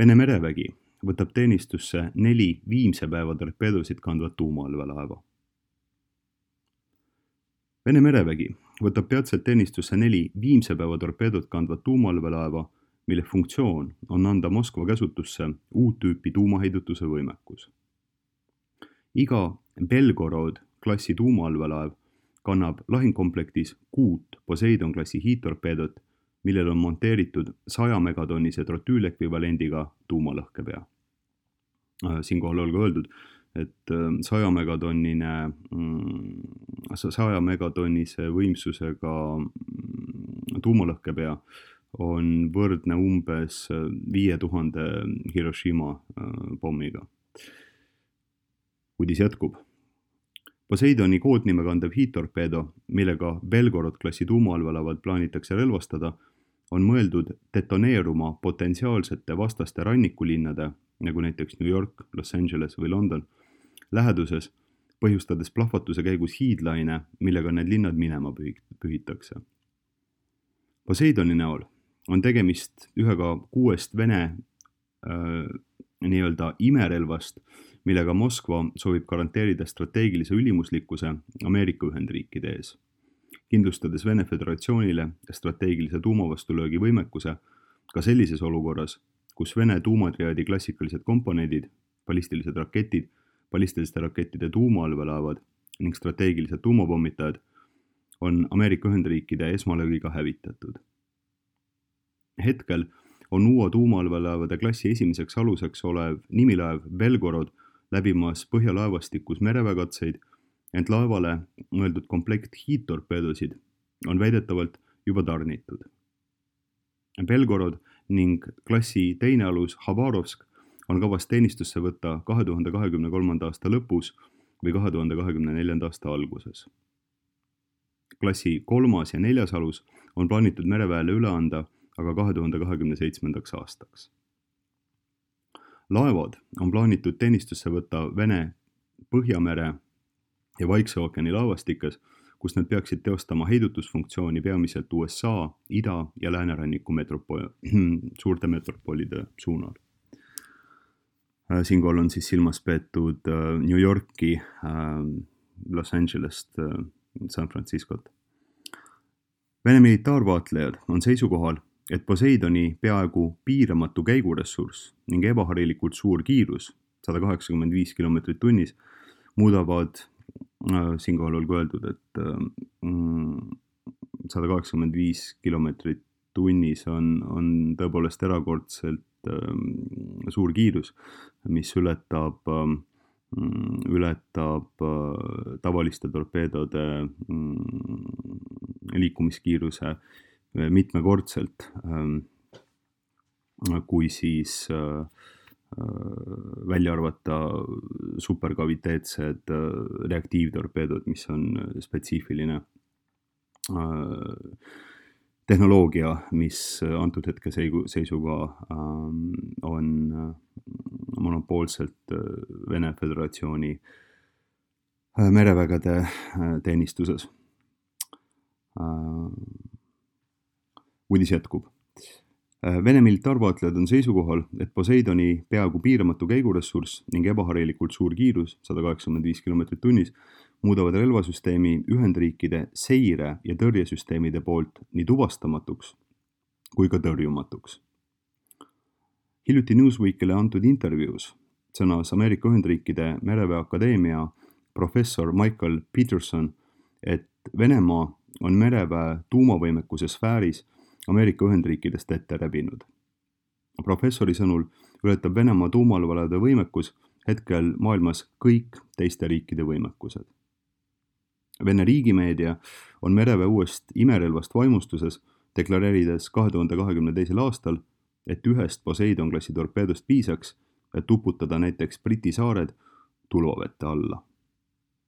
Vene merevägi võtab teenistusse 4 viimse päeva torpeedosid kandvat tuumaallveelaeva. Vene merevägi võtab peatselt teenistusse 4 viimse päeva torpeedot kandvat tuumaallveelaeva, mille funktsioon on anda Moskva käsutusse uut tüüpi tuumaheidutuse võimekus. Iga Belgorod klassi tuumaallveelaev kannab lahingkomplektis 6 Poseidon klassi hiidtorpeedot, millel on monteeritud 100 megatonnise trotüülekvivalendiga tuumalõhkepea. Siinkohal olgu öeldud, et 100 megatonnise võimsusega tuumalõhkepea on võrdne umbes 5000 Hiroshima pommiga. Uudis jätkub. Poseidoni koodnime kandev hiidtorpeedo, millega Belgorod klassi tuumaallveelaevad plaanitakse relvastada, on mõeldud detoneeruma potentsiaalsete vastaste rannikulinnade, nagu näiteks New York, Los Angeles või London, läheduses, põhjustades plahvatuse käigus hiidlaine, millega need linnad minema pühitakse. Poseidoni näol on tegemist ühega 6 Vene nii-öelda imerelvast, millega Moskva soovib garanteerida strateegilise ülimuslikkuse Ameerika Ühendriikide ees, kindlustades Vene Föderatsioonile strateegilise tuumavastulöögi võimekuse ka sellises olukorras, kus Vene tuumatriaadi klassikalised komponendid, ballistilised raketid, ballistiliste rakettide tuumaallveelaevad ning strateegilised tuumapommitajad on Ameerika Ühendriikide esmalöögiga hävitatud. Hetkel on uue tuumaallveelaevade klassi esimeseks aluseks olev nimilaev Belgorod läbimas põhjalaevastikus mereväekatseid, ent laevale mõeldud komplekt hiidtorpeedosid on väidetavalt juba tarnitud. Belgorod ning klassi teine alus Habarovsk on kavas teenistusse võtta 2023. aasta lõpus või 2024. aasta alguses. Klassi 3. ja 4. alus on plaanitud mereväele üle anda aga 2027. aastaks. Laevad on plaanitud teenistusse võtta Vene Põhjamere ja Vaikse ookeani laevastikes, kus nad peaksid teostama heidutusfunktsiooni peamiselt USA, ida- ja lääneranniku suurte metropolide suunal. Siinkohal on siis silmas peetud New Yorki, Los Angelest, San Franciscot. Vene militaarvaatlejad on seisukohal, et Poseidoni peaaegu piiramatu käiguressurss ning ebaharilikult suur kiirus, 185 kilomeetrit tunnis, muudavad, siinkohal olgu öeldud, et 185 kilomeetrit tunnis on tõepoolest erakordselt suur kiirus, mis ületab tavaliste torpeedode liikumiskiiruse mitmekordselt, kui siis välja arvata superkaviteetsed reaktiivtorpeedod, mis on spetsiifiline tehnoloogia, mis antud hetke seisuga on monopoolselt Vene Föderatsiooni merevägede teenistuses. Uudis jätkub. Vene militaarvaatlejad on seisukohal, et Poseidoni peaaegu piiramatu käiguressurss ning ebaharilikult suur kiirus, 185 kilomeetrit tunnis, muudavad relvasüsteemi Ühendriikide seire- ja tõrjesüsteemide poolt nii tuvastamatuks kui ka tõrjumatuks. Hiljuti Newsweekile antud intervjuus sõnas Ameerika Ühendriikide Mereväe Akadeemia professor Michael Peterson, et Venemaa on mereväe tuumavõimekuse sfääris Ameerika Ühendriikidest ette rebinud. Professori sõnul ületab Venemaa tuumaallveelaevade võimekus hetkel maailmas kõik teiste riikide võimekused. Vene riigimeedia on mereväe uuest imerelvast vaimustuses, deklareerides 2022. aastal, et ühest Poseidon klassi torpeedost piisaks, et uputada näiteks Briti saared tulvavete alla.